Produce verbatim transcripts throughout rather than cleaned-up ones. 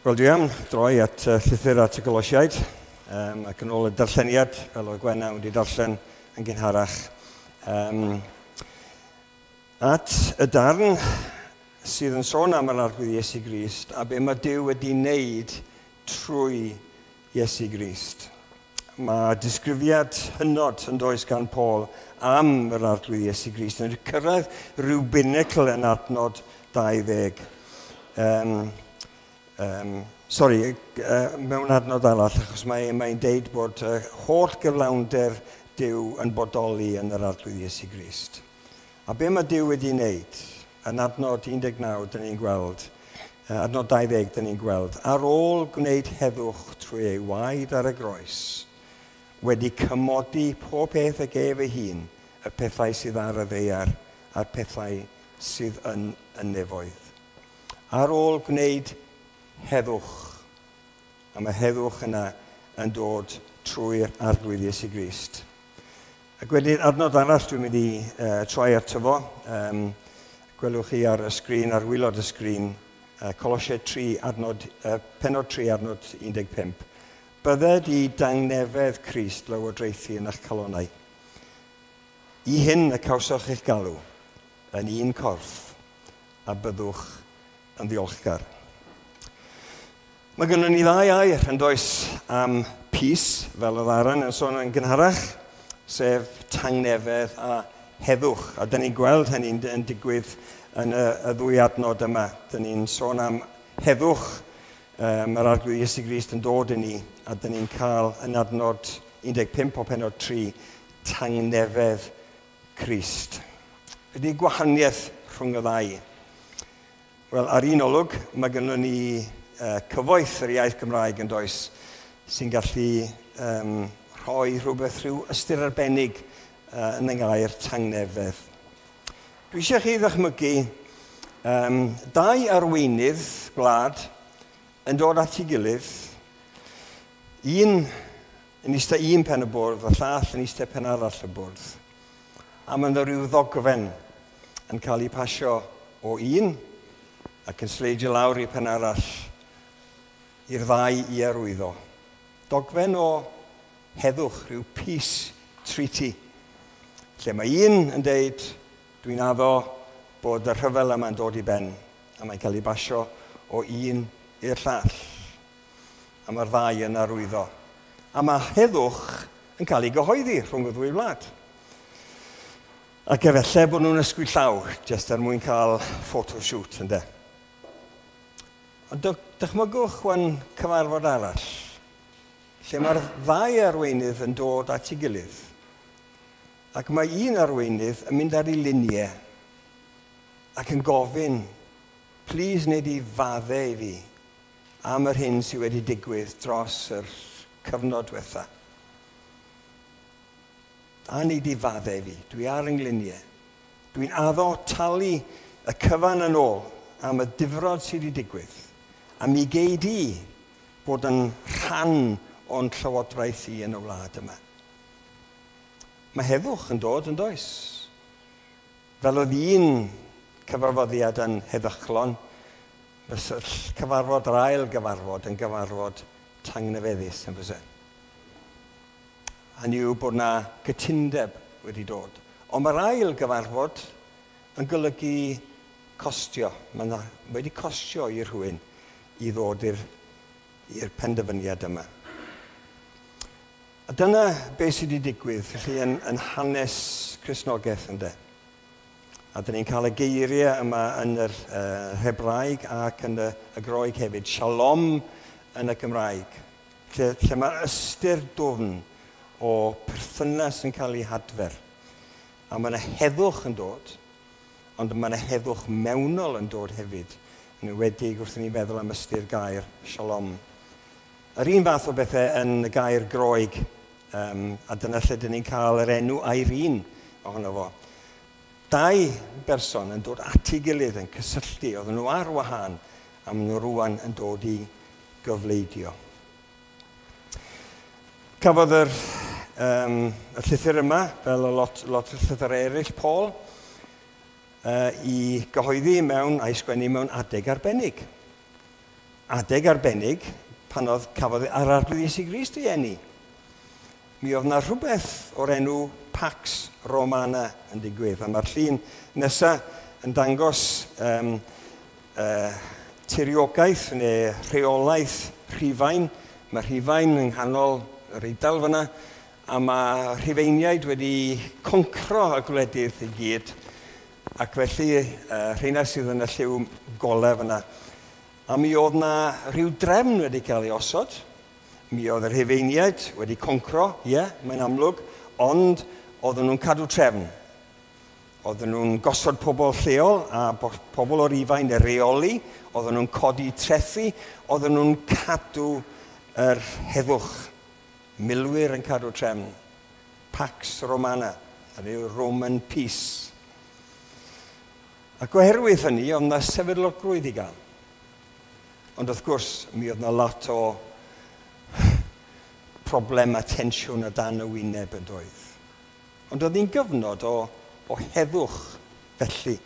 Wel, dwi am droi at uh, llythyr at y Golosiaid, um, ac yn ôl y darlleniad, fel oedd Gwenna wedi darllen yn gynharach, um, at y darn sydd yn sôn am yr Arglwydd Iesu Grist a be mae Duw wedi wneud trwy Iesu Grist. Mae disgrifiad hynod yn does gan Paul am yr Arglwydd Iesu Grist yn cyrraedd rhyw binacl yn adnod dau ddeg. Um, Um, sorry, uh, mewn adnod arall, achos mae'n mae deud bod uh, holl gyflawnder Duw yn bodoli yn yr Arglwydd Iesu Grist. A be mae Duw wedi wneud? Yn adnod un deg naw, dyn ni'n gweld, uh, adnod dau ddeg, dyn ni'n gweld, ar ôl gwneud heddwch trwy ei waed ar y groes, wedi cymodi pob peth ag ef ei hun, y pethau sydd ar y ddaear a'r pethau sydd yn y nefoedd. Ar ôl gwneud heddwch, a mae heddwch yna yn dod trwy'r Arglwydd Iesu Grist. Ac wedyn adnod arall dwi'n mynd i uh, troi ato fo, um, gwelwch chi ar y sgrin, ar waelod y sgrin, uh, Colosiaid tri, adnod, uh, pennod tri, adnod un deg pump. Bydded i dangnefedd Crist lywodraethu yn eich calonnau. I hyn y cawsoch eich galw, yn un corff, a byddwch yn ddiolchgar. Mae gynnon ni ddau air yn does am peace, fel oedd Aaron yn sôn yn gynharach, sef tangnefedd a heddwch. A dyn ni'n gweld hynny'n yn digwydd yn y, y ddwy adnod yma. Dyn ni'n sôn am heddwch, um, yr Arglwydd Iesu Grist yn dod i ni, a dyn ni'n cael yn adnod un deg pump o pennod tri, tangnefedd Crist. Ydy gwahaniaeth rhwng y ddau? Wel, ar un olwg, mae gynnon ni uh, cyfoeth yr iaith Gymraeg yn does, sy'n gallu um, rhoi rhywbeth rhyw ystyr arbennig uh, yn y gair tangnefedd. Dwi eisiau chi ddychmygu um, dau arweinydd gwlad yn dod at ei gilydd, un yn eistedd un pen y bwrdd, a llall yn eistedd pen arall y bwrdd. A mae yna rhyw ddogfen yn cael ei pasio o un ac yn sleidio lawr i pen arall i'r ddau i arwyddo. Dogfen o heddwch, rhyw peace treaty, lle mae un yn deud, dwi'n addo bod y rhyfel yma'n dod i ben, a mae'n cael ei basio o un i'r llall. A mae'r ddau yn arwyddo. A mae heddwch yn cael ei gyhoeddi rhwng y ddwy wlad. Ac efallai bod nhw'n ysgwyd llaw, jyst er mwyn cael photoshoot, ynde. Ond dychmygwch wan cyfarfod arall, lle mae'r ddau arweinydd yn dod at ei gilydd. Ac mae un arweinydd yn mynd ar ei liniau ac yn gofyn, please wneud i faddau i fi am yr hyn sydd wedi digwydd dros yr cyfnod diwetha. A wneud i faddau i fi, dwi ar yng ngliniau. Dwi'n addo talu y cyfan yn ôl am y difrod sydd wedi digwydd. A mi gei di bod yn rhan o'n llywodraeth i yn y wlad yma. Mae heddwch yn dod yn does. Fel oedd un cyfarfoddiad yn heddychlon, fysa'r cyfarfod, yr ail gyfarfod, yn gyfarfod tangnefeddus yn fysa. Hynny yw bod na gytundeb wedi dod. Ond mae'r ail gyfarfod yn golygu costio. Mae na, wedi costio i rhywun i ddod i'r, i'r penderfyniad yma. A dyna beth sydd wedi digwydd felly yn, yn hanes Cristnogaeth, ynde. A dyn ni'n cael y geiriau yma yn yr uh, Hebraeg ac yn y, y Groeg hefyd. Shalom yn y Gymraeg. Lle, lle mae ystyr dwfn o perthynas yn cael ei hadfer. A mae yna heddwch yn dod, ond mae yna heddwch mewnol yn dod hefyd. Yn enwedig wrth i ni feddwl am ystyr gair shalom. Yr un fath o bethau yn y gair Groeg, um, a dyna lle dyn ni'n cael yr enw Irene ohono fo. Dau berson yn dod at ei gilydd yn cysylltu, oedden nhw ar wahân, a maen nhw rwan yn dod i gyfleidio. Cafodd yr, um, y llythyr yma, fel y lot, lot o llythyrau eraill, Paul, uh, i gyhoeddi mewn a'i sgwennu mewn adeg arbennig. adeg arbennig pan oedd cafodd yr Arglwydd Iesu Grist ei eni. Mi oedd yna rhywbeth o'r enw Pax Romana yn digwydd. A mae'r llun nesaf yn dangos um, uh, tiriogaeth neu rheolaeth Rhufain. Mae Rhufain yng nghanol yr Eidal fyna, a mae Rhufeiniaid wedi concro y gwledydd i gyd, ac felly uh, rheina sydd yn y lliw golau fyna. A mi oedd na rhyw drefn wedi cael ei osod. Mi oedd y Rhufeiniaid wedi concro, ie, yeah, mae'n amlwg, ond oedden nhw'n cadw trefn. Oedden nhw'n gosod pobl lleol a pobl o'r Rufain i reoli, oedden nhw'n codi trethi, oedden nhw'n cadw yr heddwch. Milwyr yn cadw trefn. Pax Romana, yr Roman Peace. Ac oherwydd hynny, oedd yna sefydlogrwydd i gael. Ond wrth gwrs, mi oedd yna lot o problem a tensiwn o dan y wyneb yn doedd. Ond oedd hi'n gyfnod o, o heddwch felly.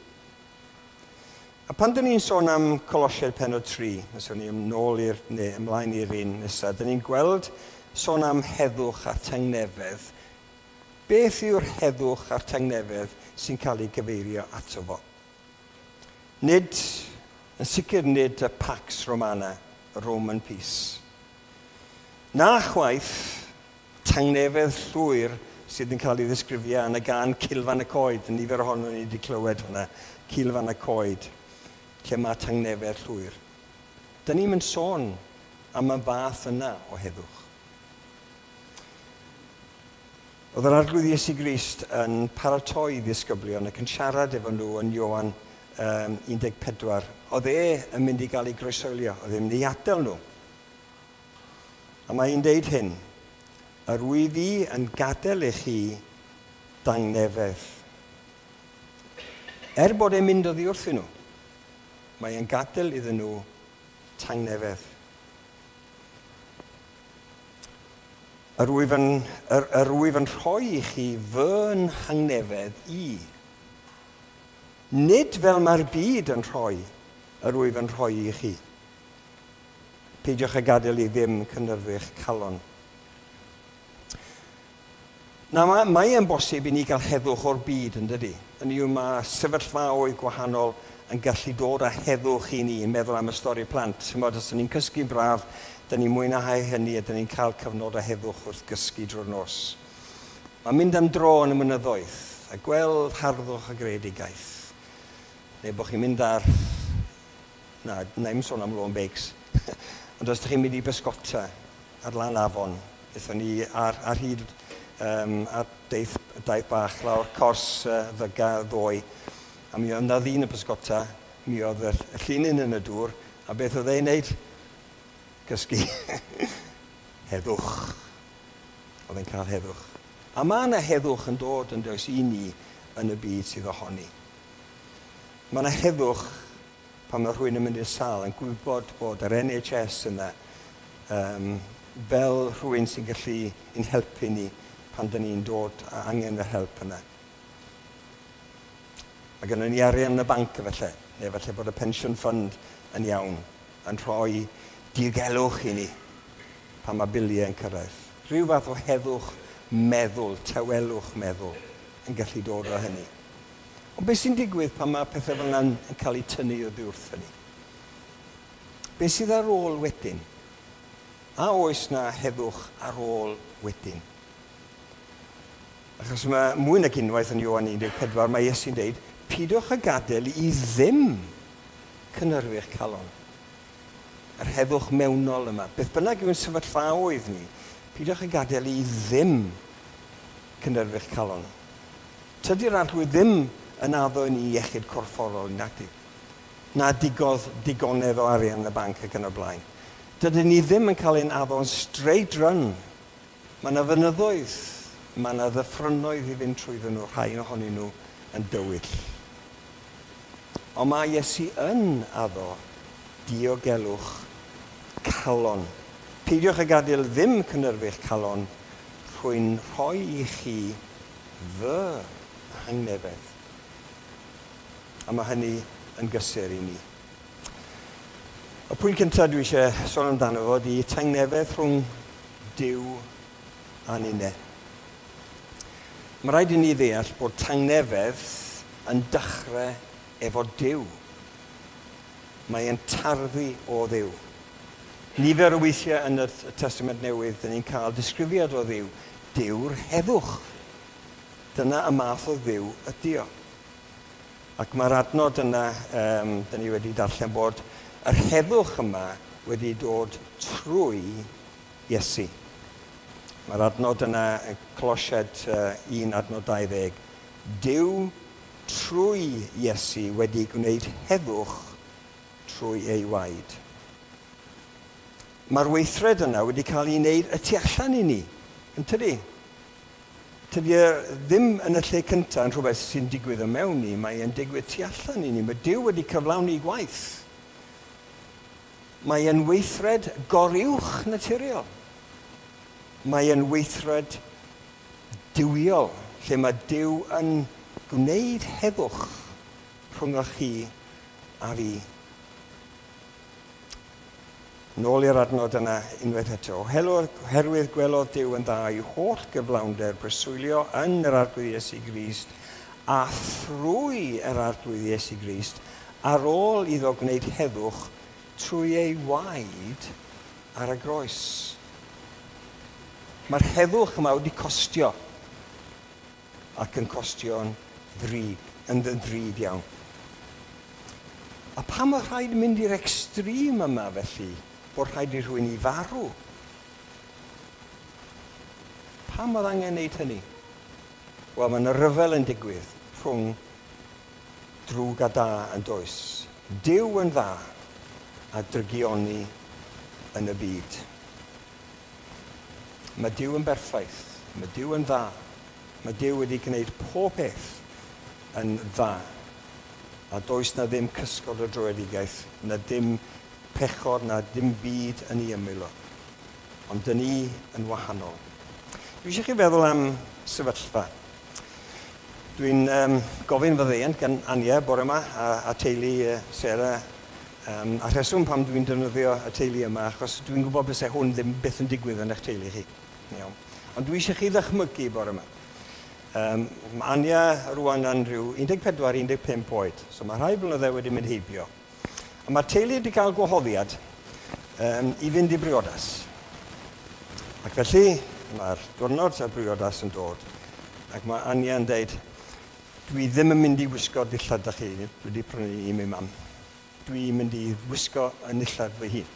A pan dyn ni'n sôn am Colosiaid pennod tri, os o'n ni nôl i'r, neu ymlaen i'r un nesaf, dyn ni'n gweld sôn am heddwch a tangnefedd. Beth yw'r heddwch a'r tangnefedd sy'n cael ei gyfeirio ato fo? Nid, yn sicr nid y Pax Romana, y Roman Peace. Na chwaith tangnefedd llwyr sydd yn cael ei ddisgrifio yn y gân Cilfan y Coed. Nifer ohono ni wedi clywed hwnna, Cilfan y Coed, lle mae tangnefedd llwyr. Dyna ni'n mynd sôn am y fath yna o heddwch. Oedd yr Arglwydd Iesu Grist yn paratoi ddisgyblion ac yn siarad efo nhw yn Ioan um, un deg pedwar. Oedd e yn mynd i gael ei groeshoelio, oedd e'n mynd i adael nhw. A mae hi'n deud hyn, yr wyf fi yn gadael i chi dangnefedd. Er bod e'n mynd oddi wrthyn nhw, mae e'n gadael iddyn nhw tangnefedd. Yr wyf yn, yr, yr wyf yn rhoi i chi fy nhangnefedd i. Nid fel mae'r byd yn rhoi, yr wyf yn rhoi i chi. Peidiwch â gadael i ddim cynhyrfu'ch calon. Na, mae, mae e'n bosib i ni gael heddwch o'r byd, yn dydy. Hynny yw, mae sefyllfaoedd gwahanol yn gallu dod â heddwch i ni, yn meddwl am y stori plant. Chimod, os ni'n cysgu'n braf, dyn ni'n mwynhau hynny a dyn ni'n cael cyfnod o heddwch wrth gysgu drwy'r nos. Mae'n mynd am dro yn y mynyddoedd a gweld harddwch a greadigaeth. Neu bod chi'n mynd ar... Na, na i'm sôn am lôn beics. Ond os ydych chi'n mynd i bysgota ar lan afon, aethon ni ar, ar hyd um, ar deith, daith bach lawr cors uh, ddyga ddoe, a mi oedd yna ddyn y pysgota, mi oedd y llinyn yn y dŵr, a beth oedd e'n neud? Cysgu. Heddwch. Oedd e'n cael heddwch. A mae yna heddwch yn dod yn does i ni yn y byd sydd ohoni. Mae yna heddwch pan mae rhywun yn mynd i'r sal yn gwybod bod yr N H S yna um, fel rhywun sy'n gallu ein helpu ni pan dyn ni'n dod a angen yr help yna. Mae gennym ni arian yn y banc efallai, neu efallai bod y pension fund yn iawn, yn rhoi diogelwch i ni pan mae biliau yn cyrraedd. Rhyw fath o heddwch meddwl, tawelwch meddwl yn gallu dod o hynny. Ond beth sy'n digwydd pan mae pethau fel yna'n cael eu tynnu oddi wrth hynny? Beth sydd ar ôl wedyn? A oes na heddwch ar ôl wedyn? Achos mae mwy nag unwaith yn Ioan un deg pedwar, mae Iesu'n deud, pidwch â gadael i ddim cynhyrfu'ch calon. Yr heddwch mewnol yma. Beth bynnag yw'n sefyllfaoedd ni, pidwch â gadael i ddim cynhyrfu'ch calon. Tydi'r Arglwydd ddim yn addo i ni iechyd corfforol, nag na digodd digonedd o arian yn y banc ac yn y blaen. Dydyn ni ddim yn cael ein addo'n straight run. Mae yna fynyddoedd, mae yna ddyffrynnoedd i fynd trwyddyn nhw, rhai ohonyn nhw yn dywyll. Ond mae Iesu yn addo diogelwch calon. Peidiwch â gadael ddim cynhyrfu'ch calon, rwy'n rhoi i chi fy hangnefedd. A mae hynny yn gysur i ni. Y pwynt cyntaf dwi eisiau sôn amdano fo ydy tangnefedd rhwng Duw a ninne. Mae rhaid i ni ddeall bod tangnefedd yn dechrau efo Duw. Mae e'n tarddu o Dduw. Nifer o weithiau yn y Testament Newydd, dyn ni'n cael disgrifiad o Dduw. Duw'r heddwch. Dyna y math o Dduw ydy o. Ac mae'r adnod yna, um, dyn ni wedi darllen bod yr heddwch yma wedi dod trwy Iesu. Mae'r adnod yna, Colosiaid uh, un adnod dau ddeg. Duw trwy Iesu wedi gwneud heddwch trwy ei waed. Mae'r weithred yna wedi cael ei wneud y tu allan i ni, yn tydi? Tydi e ddim yn y lle cyntaf yn rhywbeth sy'n digwydd y mewn ni, mae e'n digwydd tu allan i ni. Mae Duw wedi cyflawni gwaith. Mae e'n weithred goruwch naturiol. Mae e'n weithred duwiol, lle mae Duw yn gwneud heddwch rhwng chi a fi. Nôl i'r adnod yna unwaith eto. Oherwydd gwelodd Duw yn dda i'w holl gyflawnder breswylio yn yr Arglwydd Iesu Grist a thrwy yr Arglwydd Iesu Grist ar ôl iddo gwneud heddwch trwy ei waed ar y groes. Mae'r heddwch yma wedi costio ac yn costio'n ddrud, yn ddrud iawn. A pam mae rhaid mynd i'r extreme yma felly, bod rhaid i rhywun i farw? Pam oedd angen wneud hynny? Wel, mae yna ryfel yn digwydd rhwng drwg a da yn does. Duw yn dda a drygioni yn y byd. Mae Duw yn berffaith, mae Duw yn dda, mae Duw wedi gwneud pob peth yn dda. A does na ddim cysgod o dröedigaeth, na dim pechod, na dim byd yn ei ymyl o. Ond dyn ni yn wahanol. Dwi eisiau chi feddwl am sefyllfa. Dwi'n um, gofyn fy ddeian gan Ania bore yma a, a teulu uh, Sarah. Um, a rheswm pam dwi'n defnyddio y teulu yma, achos dwi'n gwybod bysau hwn ddim byth yn digwydd yn eich teulu chi. Iawn. Ond dwi eisiau chi ddychmygu bore yma. Um, mae Ania rwan yn rhyw un deg pedwar un deg pump oed, so mae rhai blynydde wedi mynd heibio. A mae'r teulu wedi cael gwahoddiad um, i fynd i briodas. Ac felly, mae'r diwrnod y briodas yn dod, ac mae Ania yn deud, dwi ddim yn mynd i wisgo dillad da chi wedi prynu i mi mam. Dwi'n mynd i wisgo yn nillad fy hun.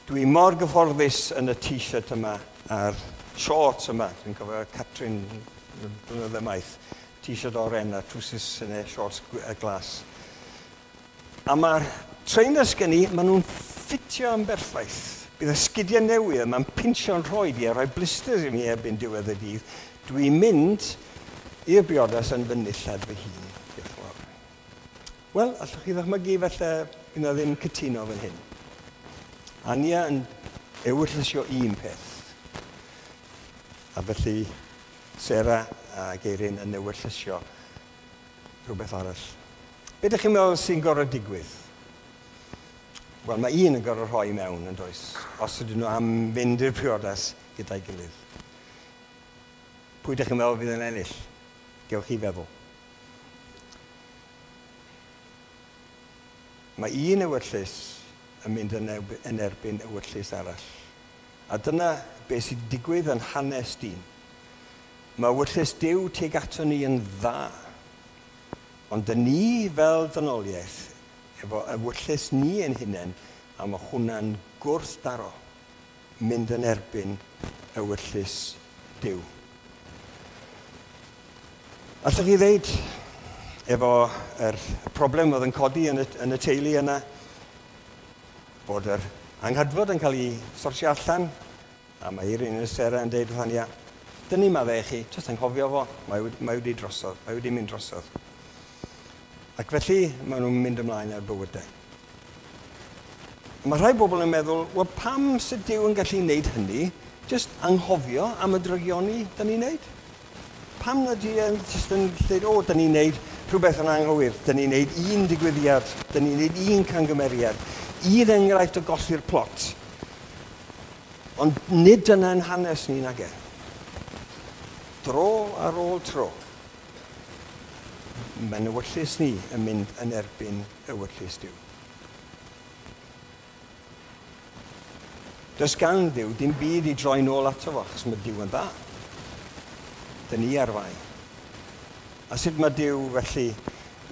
Dwi mor gyfforddus yn y t-shirt yma a'r shorts yma. Dwi'n cofio Catrin blynydde maith. T-shirt oren a trwsus neu shorts glas. A mae'r trainers gen i, maen nhw'n ffitio yn berffaith. Bydd y sgidiau newydd yma'n pinsio'n rhoed i a rhoi blisters i mi erbyn diwedd y dydd. Dwi'n mynd i'r briodas yn fy nillad fy hun. Wel, allwch chi ddychmygu felly bydd na ddim cytuno fan hyn. Ania yn ewyllysio un peth. A felly Sarah a Geirin yn ewyllysio rhywbeth arall. Be ydych chi'n meddwl sy'n gorfod digwydd? Wel, mae un yn gorfod rhoi mewn yn does, os ydyn nhw am fynd i'r priodas gyda'i gilydd. Pwy ydych chi'n meddwl fydd yn ennill? Gewch chi feddwl. Mae un ewyllys yn mynd yn erbyn ewyllys arall. A dyna beth sy'n digwydd yn hanes dyn. Mae ewyllys Duw tuag ato ni yn dda. Ond dyn ni fel dynoliaeth, efo ewyllys ni yn hunain, a mae hwnna'n gwrthdaro mynd yn erbyn ewyllys Duw. Allwch chi ddeud, efo yr problem oedd yn codi yn y, yn y teulu yna, bod yr anghydfod yn cael ei sortio allan, a mae Irene a Sarah yn deud wrth Ania, dyn ni maddau chi, jyst anghofio fo, mae wedi, mae wedi drosodd, mae wedi mynd drosodd. Ac felly, maen nhw'n mynd ymlaen ar bywydau. Mae rhai bobl yn meddwl, wel pam sydd Duw yn gallu wneud hynny, jyst anghofio am y drygioni dyn ni'n wneud? Pam na di yn jyst yn dweud, o, dyn ni'n wneud rhywbeth yn anghywir, dyn ni'n wneud un digwyddiad, dyn ni'n wneud un cangymeriad, Un enghraifft o golli'r plot. Ond nid dyna'n hanes ni nage. Dro ar ôl tro, mae'n ewyllys ni yn mynd yn erbyn ewyllys Duw. Does gan Dduw dim byd i droi nôl ato fo, achos mae Duw yn dda. Dyn ni ar fai. A sut mae Duw felly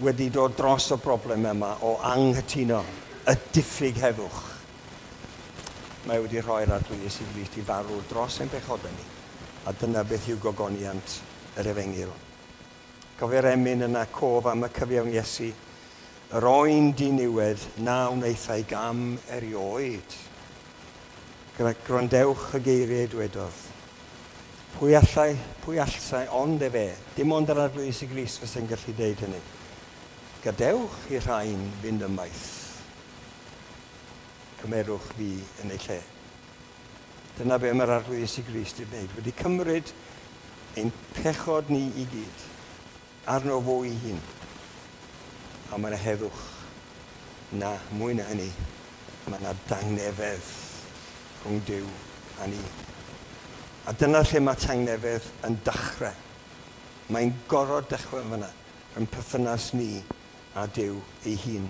wedi dod dros y broblem yma o anghytuno, y diffyg heddwch? Mae wedi rhoi'r Arglwydd Iesu Grist i farw dros ein pechodau ni. A dyna beth yw gogoniant yr efengyl. Cofio'r emyn yna, cof am y cyfiawn Iesu, yr oen diniwedd na wnaethai gam erioed. Gwrandewch y geiriau dwedodd. Pwy allai, pwy allai ond efe, dim ond yr Arglwydd Iesu Grist fysa'n gallu deud hynny. Gadewch i'r rhain fynd ymaith. Cymerwch fi yn ei lle. Dyna be mae'r Arglwydd Iesu Grist wedi wneud. Wedi cymryd ein pechod ni i gyd arno fo ei hun. A mae yna heddwch. Na, mwy na hynny, mae yna dangnefedd rhwng Duw a ni. A dyna lle mae tangnefedd yn dechrau. Mae'n gorfod dechrau fyna, rhwng perthynas ni a Duw ei hun.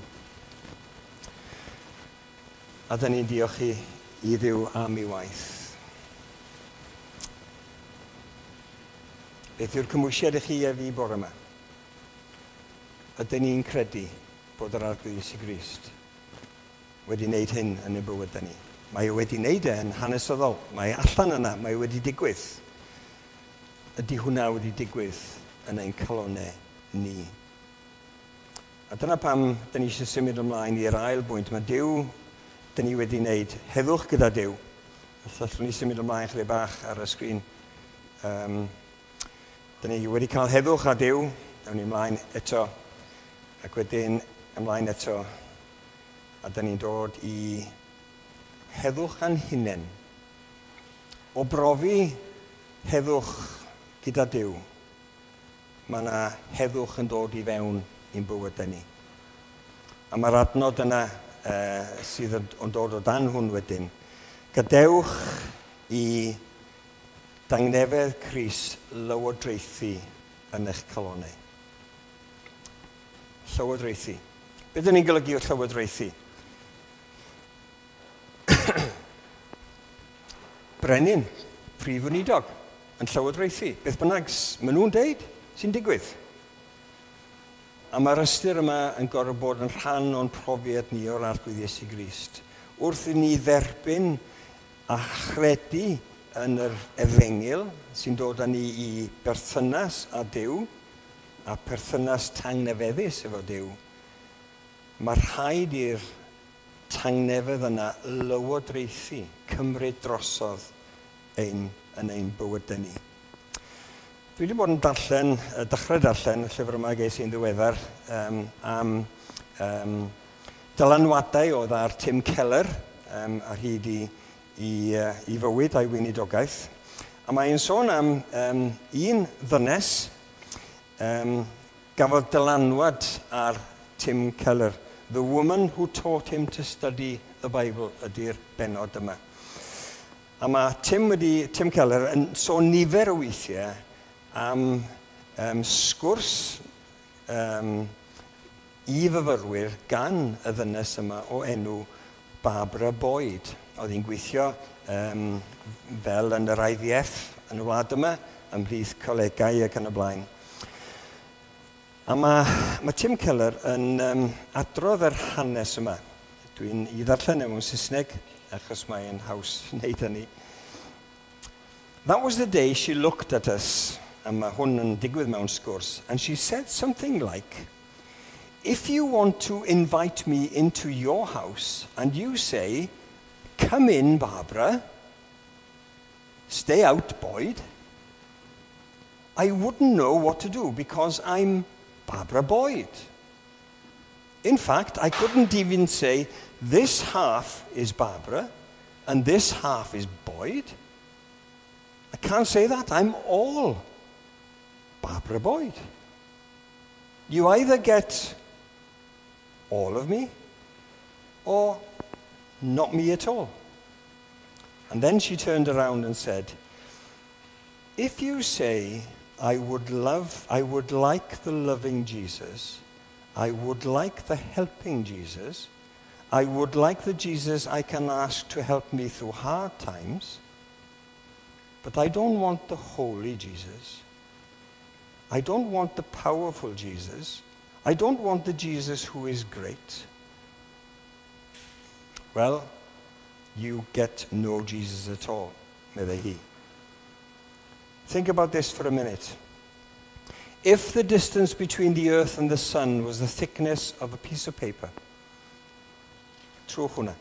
A dyn ni'n diolch i, i Dduw am ei waith. Beth yw'r cymwysiad i chi a fi bore yma? Ydyn ni'n credu bod yr Arglwydd Iesu Grist wedi wneud hyn yn ein bywydau ni? Mae e wedi wneud e yn hanesyddol. Mae e allan yna, mae e wedi digwydd. Ydy hwnna wedi digwydd yn ein calonnau ni? A dyna pam dyn ni eisiau symud ymlaen i'r ail bwynt. Mae Duw, dyn ni wedi wneud heddwch gyda Duw. Os allwn ni symud ymlaen chydig bach ar y sgrin. Um, dyn ni wedi cael heddwch â Duw. Dawn ni ymlaen eto. Ac wedyn ymlaen eto. A dyn ni'n dod i heddwch a'n hunain. O brofi heddwch gyda Duw, mae yna heddwch yn dod i fewn i'n bywydau ni. A mae'r adnod yna uh, sydd yn, yn dod o dan hwn wedyn. Gadewch i dangnefedd Crist lywodraethu yn eich calonnau. Llywodraethu. Beth ydyn ni'n golygu o llywodraethu? Brenin, prif weinidog, yn llywodraethu. Beth bynnag maen nhw'n deud sy'n digwydd. A mae'r ystyr yma yn gorfod bod yn rhan o'n profiad ni o'r Arglwydd Iesu Grist. Wrth i ni dderbyn a chredu yn yr efengyl sy'n dod â ni i berthynas â Duw, a perthynas tangnefeddus efo Duw, mae rhaid i'r tangnefedd yna lywodraethu, cymryd drosodd ein, yn ein bywydau ni. Dwi wedi bod yn darllen, dechrau darllen y llyfr yma ges i'n ddiweddar um, am um, dylanwadau oedd ar Tim Keller um, ar hyd i, i, uh, i fywyd a'i weinidogaeth. A mae'n sôn am um, un ddynes um, gafodd dylanwad ar Tim Keller. The woman who taught him to study the Bible ydy'r bennod yma. A mae Tim, wedi, Tim Keller yn sôn nifer o weithiau am um, sgwrs um, i fyfyrwyr gan y ddynes yma o enw Barbara Boyd. Oedd hi'n gweithio um, fel yn yr I V F yn y wlad yma, ymhlith colegau ac yn y blaen. A mae, mae Tim Keller yn um, adrodd yr hanes yma. Dwi'n i ddarllen e mewn Saesneg, achos mae'n haws wneud hynny. That was the day she looked at us, a mae hwn yn digwydd mewn sgwrs, and she said something like, if you want to invite me into your house, and you say, come in, Barbara, stay out, Boyd, I wouldn't know what to do because I'm Barbara Boyd. In fact, I couldn't even say, this half is Barbara and this half is Boyd. I can't say that. I'm all Barbara Boyd. You either get all of me or not me at all. And then she turned around and said, if you say, I would love, I would like the loving Jesus, I would like the helping Jesus, I would like the Jesus I can ask to help me through hard times, but I don't want the holy Jesus. I don't want the powerful Jesus. I don't want the Jesus who is great. Well, you get no Jesus at all, meddai hi. Think about this for a minute. If the distance between the earth and the sun was the thickness of a piece of paper, trwch hwnna.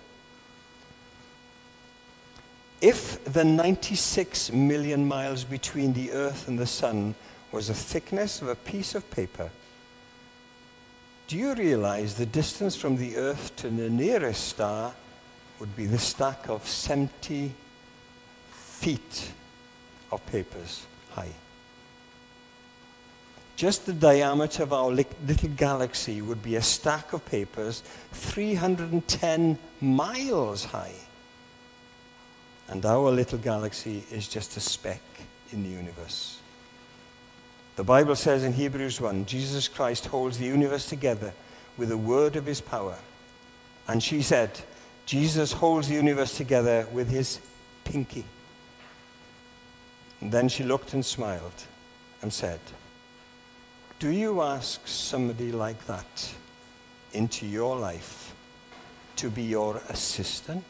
If the ninety-six million miles between the earth and the sun was the thickness of a piece of paper, do you realize the distance from the earth to the nearest star would be the stack of seventy feet of papers high? Just the diameter of our little galaxy would be a stack of papers three hundred ten miles high. And our little galaxy is just a speck in the universe. The Bible says in Hebrews one, Jesus Christ holds the universe together with the word of his power. And she said, Jesus holds the universe together with his pinky. And then she looked and smiled and said, do you ask somebody like that into your life to be your assistant?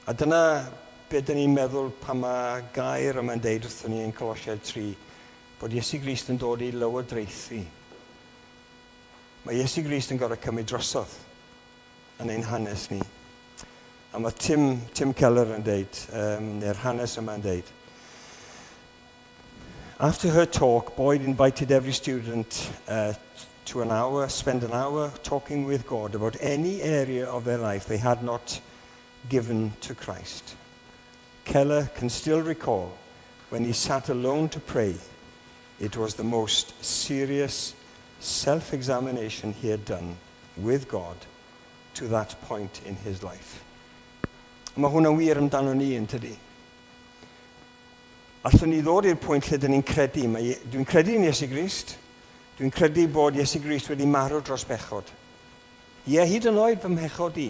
A dyna be dyn ni'n meddwl pan mae gair yma'n deud wrthon ni yn Colosiaid tri, bod Iesu Grist yn dod i lywodraethu. Mae Iesu Grist yn gorfod cymryd drosodd yn ein hanes ni. A mae Tim, Tim Keller yn deud, um, neu'r hanes yma'n deud, after her talk, Boyd invited every student uh, to an hour, spend an hour talking with God about any area of their life they had not given to Christ. Keller can still recall when he sat alone to pray, it was the most serious self-examination he had done with God to that point in his life. Mae hwnna'n wir amdano ni yn tydi. Allwn ni ddod i'r pwynt lle dyn ni'n credu. Dwi'n credu yn Iesu Grist. Dwi'n credu bod Iesu Grist wedi marw dros bechod. Ie, hyd yn oed fy mhechod i.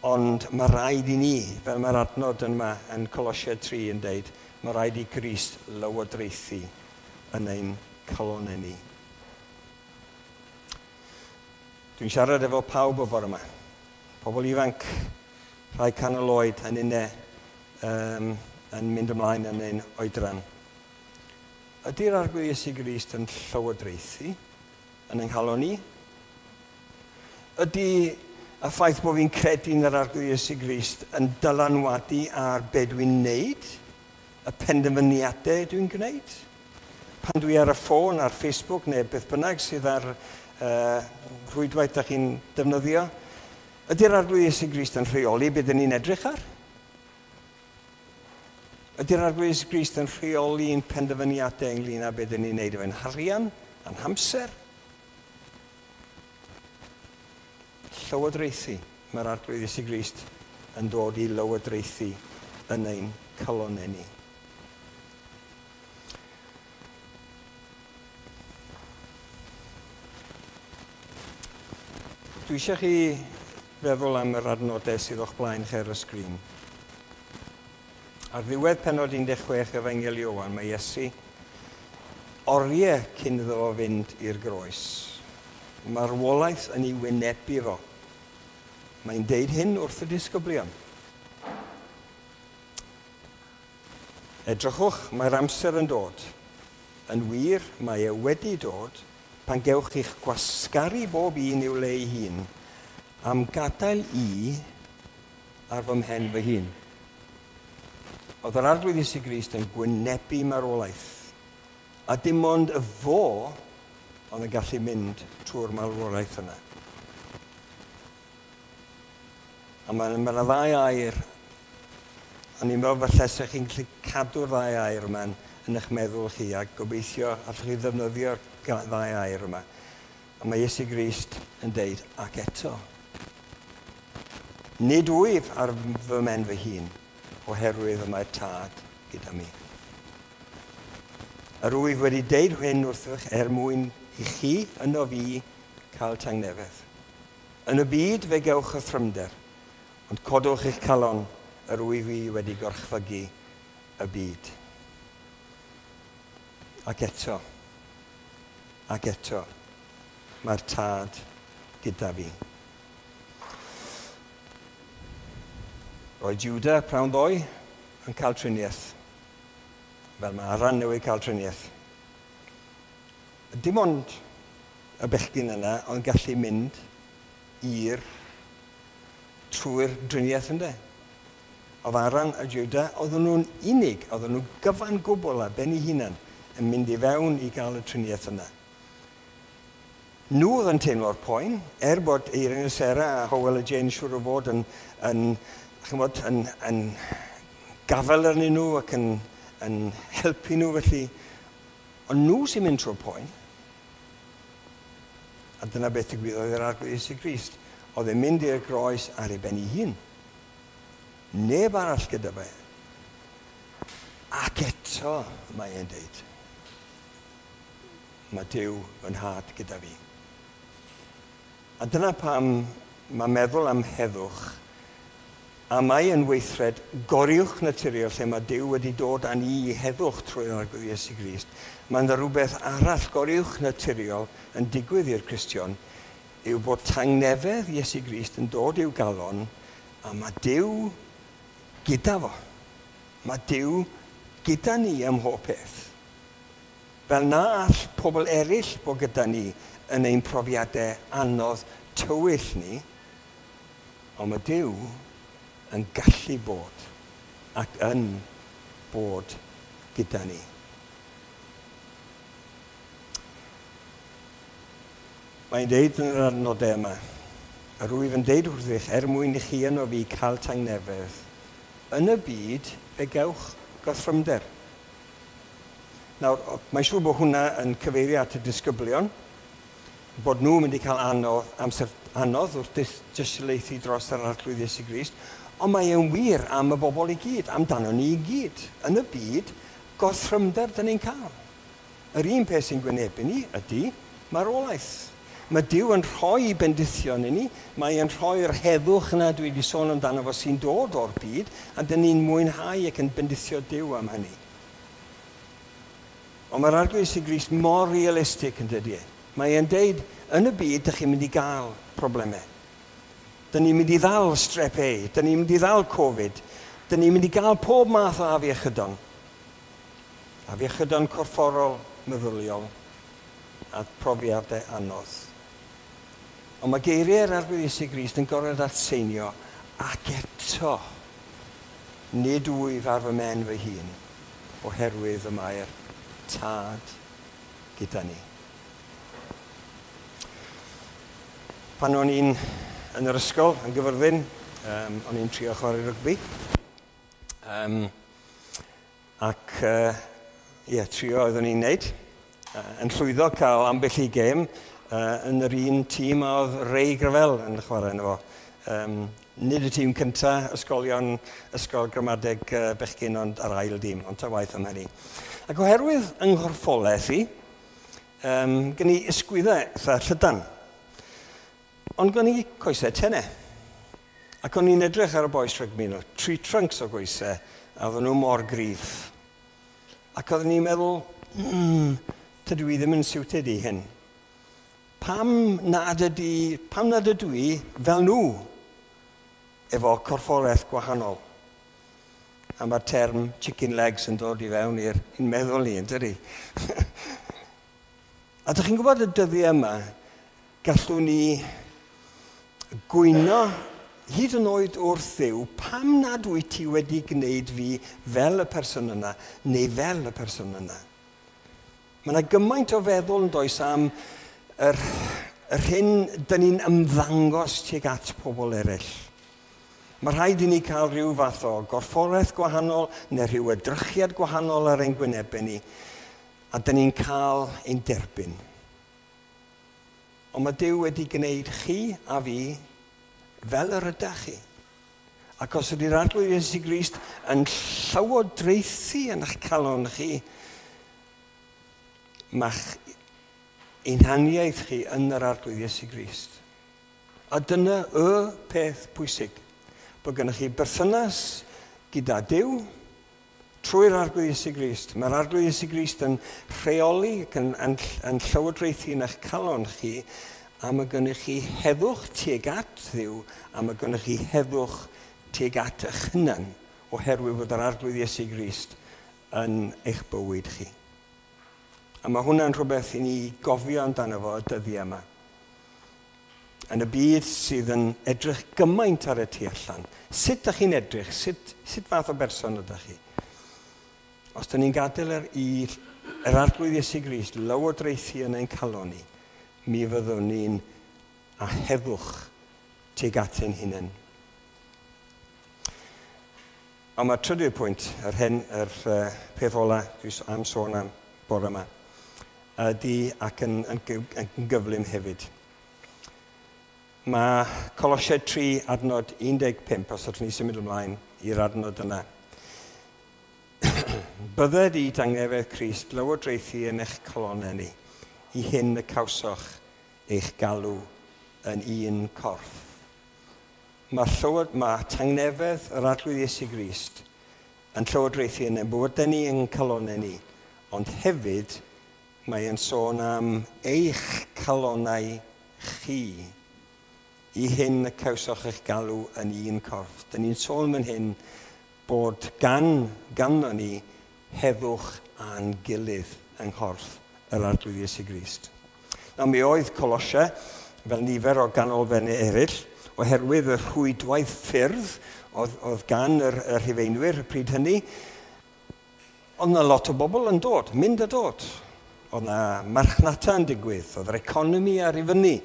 Ond mae rhaid i ni, fel mae'r adnod yma yn Colosiaid tri yn deud, mae rhaid i Grist lywodraethu yn ein calonnau ni. Dwi'n siarad efo pawb o bore yma. Pobl ifanc, rhai canol oed yn unne um, yn mynd ymlaen yn ein oedran. Ydy'r Arglwydd Iesu Grist yn llywodraethu yn ein calon ni? Ydy y ffaith bod fi'n credu yn yr Arglwydd Iesu Grist yn dylanwadu ar be dwi'n neud, y penderfyniadau dwi'n gwneud? Pan dwi ar y ffôn, ar Facebook neu beth bynnag sydd ar uh, rhwydwaith da chi'n defnyddio, ydy'r Arglwydd Iesu Grist yn rheoli beth dyn ni'n edrych ar? Ydy'r Arglwydd Iesu Grist yn rheoli'n penderfyniadau ynglyn â beth dyn ni'n neud efo'n harian, a'n hamser? Llywodraethu. Mae'r Arglwydd Iesu Grist yn dod i lywodraethu yn ein calonnau ni. Dwi eisiau chi feddwl am yr adnodau sydd o'ch blaen chi ar y sgrin. Ar ddiwedd pennod un deg chwech Efengyl Ioan, mae Iesu oriau cyn iddo fo fynd i'r groes. Marwolaeth yn ei wynebu fo. Mae'n deud hyn wrth y disgyblion. Edrychwch, mae'r amser yn dod. Yn wir, mae e wedi dod pan gewch chi'ch gwasgaru bob un i'w le ei hun am gadael i ar fy mhen fy hun. Oedd yr Arglwydd Iesu Grist yn gwynebu marwolaeth, a dim ond y fo oedd yn gallu mynd trwy'r marwolaeth yna. A mae yna ddau air, a ni'n meddwl falle sech chi'n gallu cadw'r ddau air yma yn eich meddwl chi, a gobeithio allwch chi ddefnyddio'r ddau air yma. A mae Iesu Grist yn deud, ac eto, nid wyf ar fy mhen fy hun, oherwydd y mae'r Tad gyda mi. Yr wyf wedi deud hyn wrthych er mwyn i chi yno fi cael tangnefedd. Yn y byd fe gewch y thrymder, ond codwch eich calon, yr wyf i wedi gorchfygu y byd. Ac eto, ac eto, mae'r Tad gyda fi. Roedd Judah prawn ddoe yn cael triniaeth, fel mae Aran newydd cael triniaeth. Dim ond y bechgyn yna ond gallu mynd i'r trwy'r driniaeth ynde. Oedd Aran a Judah, oedden nhw'n unig, oedden nhw gyfan gwbl ar ben eu hunan yn mynd i fewn i gael y triniaeth yna. Nhw oedd yn teimlo'r poen, er bod Eirin a Sarah a Howell a Jane siŵr o fod yn, yn, chymod, yn, yn gafel arnyn nhw ac yn, yn helpu nhw felly. Ond nhw sy'n mynd trwy'r poen. A dyna beth ddigwyddodd i'r Arglwydd Iesu Grist. Oedd e'n mynd i'r groes ar ei ben ei hun. Neb arall gyda fe. Ac eto, mae e'n deud, mae Duw fy nhad gyda fi. A dyna pam mae meddwl am heddwch, a mae yn weithred goriwch naturiol lle mae Duw wedi dod â ni i heddwch trwy'r Arglwydd Iesu Grist. Mae yna rhywbeth arall goriwch naturiol yn digwydd i'r Cristion, yw bod tangnefedd Iesu Grist yn dod i'w galon, a mae Duw gyda fo. Mae Duw gyda ni ym mhob peth. Fel na all pobl eraill bod gyda ni yn ein profiadau anodd tywyll ni, ond mae Duw yn gallu bod ac yn bod gyda ni. Mae'n deud yn yr adnodau yma, yr wyf yn deud wrthych er mwyn i chi yno fi cael tangnefedd. Yn y byd fe gewch gorthrymder. Nawr, mae'n siŵr bod hwnna yn cyfeirio at y disgyblion, bod nhw'n mynd i cael anodd, amser anodd wrth dystiolaethu dros yr Arglwydd Iesu Grist, ond mae e'n wir am y bobl i gyd, amdano ni i gyd. Yn y byd, gorthrymder dyn ni'n cael. Yr un peth sy'n gwynebu ni ydy marwolaeth. Mae Duw yn rhoi bendithion i ni, mae e'n rhoi'r heddwch yna dwi wedi sôn amdano fo sy'n dod o'r byd, a dyn ni'n mwynhau ac yn bendithio Duw am hynny. Ond mae'r Arglwydd Iesu Grist mor realistig yn dydy e. Mae e'n deud, yn y byd, dych chi'n mynd i gael problemau. Dyn ni'n mynd i ddal strep A, dyn ni'n mynd i ddal Covid, dyn ni'n mynd i gael pob math o afiechydon. Afiechydon corfforol, meddyliol, a profiadau anodd. Ond mae geiriau'r Arglwydd Iesu Grist yn gorfod atseinio, ac eto, nid wyf ar fy mhen fy hun, oherwydd y mae'r Tad gyda ni. Pan o'n i'n yn yr ysgol, yn Gyfyrddin, um, o'n i'n trio chwarae rygbi. Um, ac, uh, ie, trio oeddwn i'n neud. Uh, yn llwyddo cael ambell i gêm uh, yn yr un tîm a oedd Ray Gravell yn chwarae yno fo. Um, nid y tîm cynta, ysgolion, ysgol gramadeg uh, bechgyn, ond yr ail dîm, ond ta waith am hynny. Ac oherwydd yng nghorffolaeth i, um, gen i ysgwyddau eitha llydan. Ond gen i coesau tenau. Ac o'n i'n edrych ar y bois rygbi nhw, tree trunks o goesau, a oedden nhw mor gryf. Ac oeddwn i'n meddwl, mm, tydw i ddim yn siwted i hyn. Pam nad ydy, pam nad ydw i fel nhw, efo corffolaeth gwahanol? A mae'r term chicken legs yn dod i fewn i'r meddwl ni, yn dydi? A dych chi'n gwybod y dyddiau yma, gallwn ni gwyno hyd yn oed wrth Dduw, pam nad wyt ti wedi gwneud fi fel y person yna, neu fel y person yna? Mae yna gymaint o feddwl yn does am yr, yr hyn dyn ni'n ymddangos tuag at pobl eraill. Mae rhaid i ni cael rhyw fath o gorfforaeth gwahanol neu rhyw edrychiad gwahanol ar ein gwynebau ni, a dyn ni'n cael ein derbyn. Ond mae Duw wedi gwneud chi a fi fel yr ydych chi. Ac os ydy'r Arglwydd Iesu Grist yn llywodraethu yn eich calon chi, mae'ch hunaniaeth chi yn yr Arglwydd Iesu Grist. A dyna y peth pwysig, bod gennych chi berthynas gyda Duw trwy'r Arglwydd Iesu Grist. Mae'r Arglwydd Iesu Grist yn rheoli ac yn, yn, yn llywodraethu yn eich calon chi, a mae gennych chi heddwch tuag at Dduw, a mae gennych chi heddwch tuag at eich hunan, oherwydd bod yr Arglwydd Iesu Grist yn eich bywyd chi. A mae hwnna'n rhywbeth i ni gofio amdano fo y dyddiau yma. Yn y byd sydd yn edrych gymaint ar y tu allan. Sut ydych chi'n edrych? Sut, sut fath o berson ydych chi? Os ydych ni'n gadael yr, yr Arglwydd Iesu Grist lywodraethu yn ein calon ni, mi fyddwn ni'n a heddwch tuag at ein hunain. Ond mae'r trydydd pwynt, yr, hen, yr uh, peth ola dwi am sôn am bore yma, ydy ac yn, yn, yn gyflym hefyd. Mae Colosiaid tri adnod un deg pump, os ydych ni'n symud ymlaen i'r adnod yna. Bydded i dangnefedd Crist lywodraethu yn eich calonnau ni, i hyn y cawsoch eich galw yn un corff. Mae, llywod, mae tangnefedd yr Arglwydd Iesu Grist yn llywodraethu yn ein bywydau ni, yn calonnau ni, ond hefyd mae yn sôn am eich calonnau chi, i hyn y cawsoch eich galw yn un corff. Dyn ni'n sôn fan hyn bod gan, ganddo ni heddwch a'n gilydd yng nghorff yr Arglwydd Iesu Grist. Nawr, mi oedd Colosia, fel nifer o ganolfannau eraill, oherwydd y rhwydwaith ffyrdd oedd, oedd gan yr, yr Rhufeinwyr y pryd hynny, oedd yna lot o bobl yn dod, mynd a dod. Oedd yna marchnata yn digwydd, oedd yr economi ar ei fyny,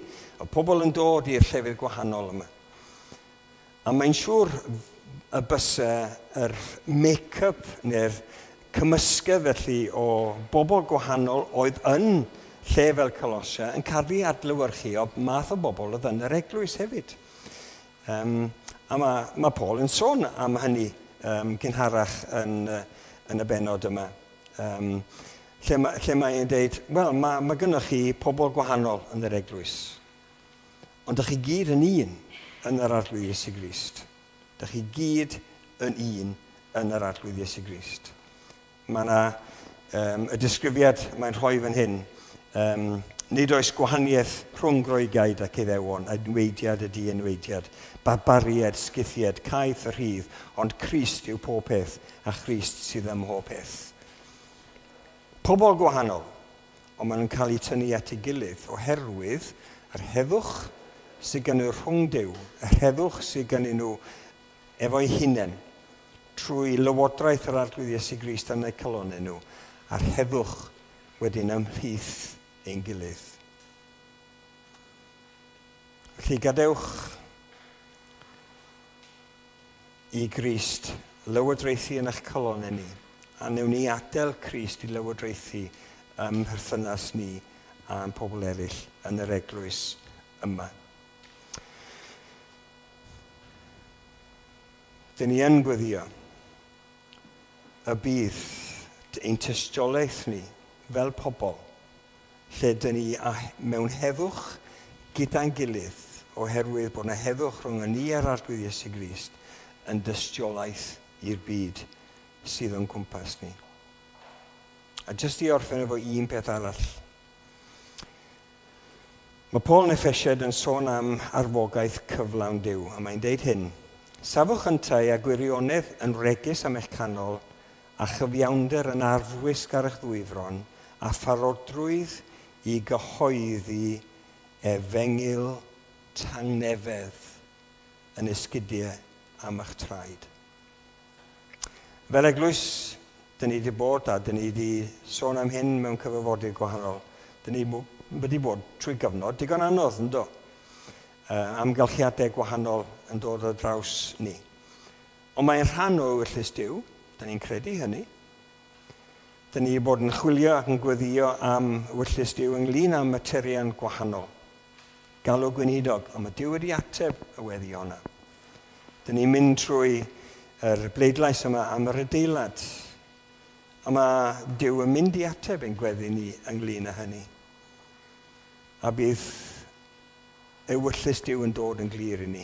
oedd pobl yn dod i'r llefydd gwahanol yma. A mae'n siŵr y bysa yr make-up neu'r cymysgedd felly o bobl gwahanol oedd yn lle fel Colosia yn cael ei adlewyrchu o math o bobl oedd yn yr eglwys hefyd. Um, a mae, mae Paul yn sôn am hynny um, gynharach yn, yn y bennod yma. Um, lle, ma, lle mae'n dweud, wel, mae, mae gynnoch chi pobl gwahanol yn yr eglwys. Ond ydych chi gyd yn un yn yr Arglwydd Iesu Grist. Ydych chi gyd yn un yn yr Arglwydd Iesu Grist. Mae yna um, y disgrifiad mae'n rhoi fan hyn. Um, nid oes gwahaniaeth rhwng Groegiaid ac Iddewon, enweidiad y dienweidiad, barbariaid, Scythiaid, caeth y rhydd, ond Crist yw pob peth, a Christ sydd ym mhob peth. Pobl gwahanol, ond maen nhw'n cael eu tynnu at ei gilydd oherwydd yr heddwch sydd gen nhw rhwng Duw, yr heddwch sydd gen nhw efo'i hunain, trwy lywodraeth yr Arglwydd Iesu Grist yn eu calonnau nhw, a'r heddwch wedyn ymhlith ein gilydd. Felly gadewch i Grist lywodraethu yn eich calonnau ni, a newn ni adael Crist i lywodraethu ym mherthynas ni a'n pobl eraill yn yr eglwys yma. Dyn ni yn gweddio y bydd ein tystiolaeth ni fel pobl, lle dyn ni mewn heddwch gyda'n gilydd, oherwydd bod yna heddwch rhwng ni a'r Arglwydd Iesu Grist yn dystiolaeth i'r byd sydd o'n cwmpas ni. A jyst i orffen efo un peth arall. Mae Paul yn Effesiaid yn sôn am arfogaeth cyflawn Duw, a mae'n deud hyn: Safwch yntau a gwirionedd yn wregus am eich canol, a chyfiawnder yn arfwisg ar eich ddwyfron, a pharodrwydd i gyhoeddi efengyl tangnefedd yn esgidiau am eich traed. Fel eglwys, dyn ni wedi bod, a dyn ni wedi sôn am hyn mewn cyfarfodydd gwahanol, dyn ni wedi bod trwy gyfnod digon anodd, yndo? Uh, amgylchiadau gwahanol yn dod ar draws ni. Ond mae'n rhan o ewyllys Duw, dyn ni'n credu hynny. Dyn ni wedi bod yn chwilio ac yn gweddio am ewyllys Duw ynglyn â materion gwahanol. galw gweinidog, ond mae Duw wedi ateb y weddi honna. Dyn ni'n mynd trwy yr bleidlais yma am yr adeilad. A mae Duw yn mynd i ateb ein gweddi ni ynglyn â hynny. A bydd ewyllys Duw yn dod yn glir i ni.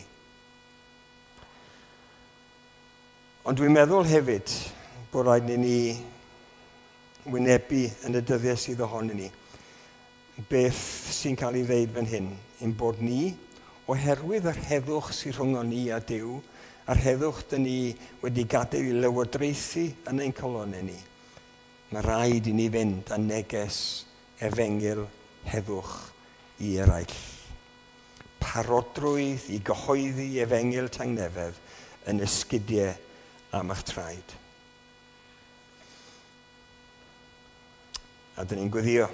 Ond dwi'n meddwl hefyd bod rhaid i ni wynebu yn y dyddiau sydd ohonyn ni beth sy'n cael ei ddeud fan hyn, ein bod ni, oherwydd yr heddwch sy'n rhwng ni a Duw, a'r heddwch dyn ni wedi gadael i lywodraethu yn ein calonnau ni, mae rhaid i ni fynd â neges efengyl heddwch i eraill. Parodrwydd i gyhoeddi efengyl tangnefedd yn esgidiau am eich traed. A dyn ni'n gweddio.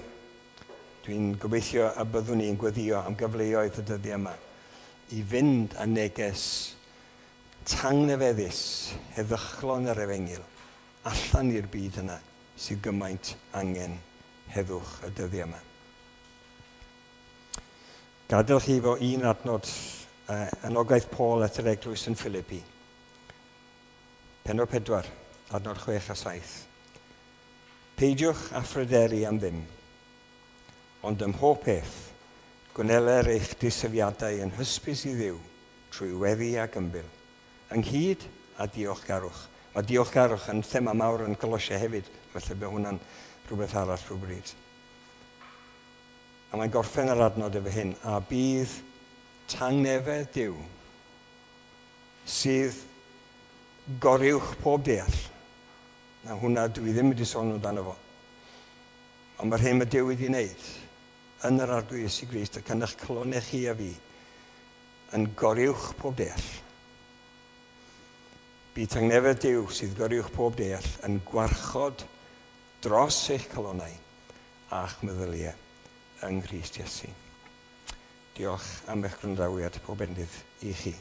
Dwi'n gobeithio y byddwn ni'n gweddio am gyfleoedd y dyddiau yma i fynd â neges tangnefeddus heddychlon yr efengyl allan i'r byd yna sydd gymaint angen heddwch y dyddiau yma. Gadael chi fo un adnod uh, anogaeth Paul at yr eglwys yn Philippi. Pennod pedwar, adnod chwech a saith. Peidiwch â phryderu am ddim, ond ym mhob peth, gwneler eich disyfiadau yn hysbys i Dduw trwy weddi ac ymbil, ynghyd â diolchgarwch. Mae diolchgarwch yn thema mawr yn Colosia hefyd, felly bydd hwnna'n rhywbeth arall rhywbryd. A mae'n gorffen yr adnod efo hyn, a bydd tangnefedd Duw sydd goruwch pob deall. Na hwnna dwi ddim wedi sôn amdano fo. Ond mae'r hyn mae Duw wedi wneud yn yr Arglwydd Iesu Grist ac yn eich calonnau chi a fi yn goruwch pob deall. Bydd tangnefedd Duw sydd goruwch pob deall yn gwarchod dros eich calonnau a'ch meddyliau yng Nghrist Iesu. Diolch am eich gwrandawiad, pob bendith i chi.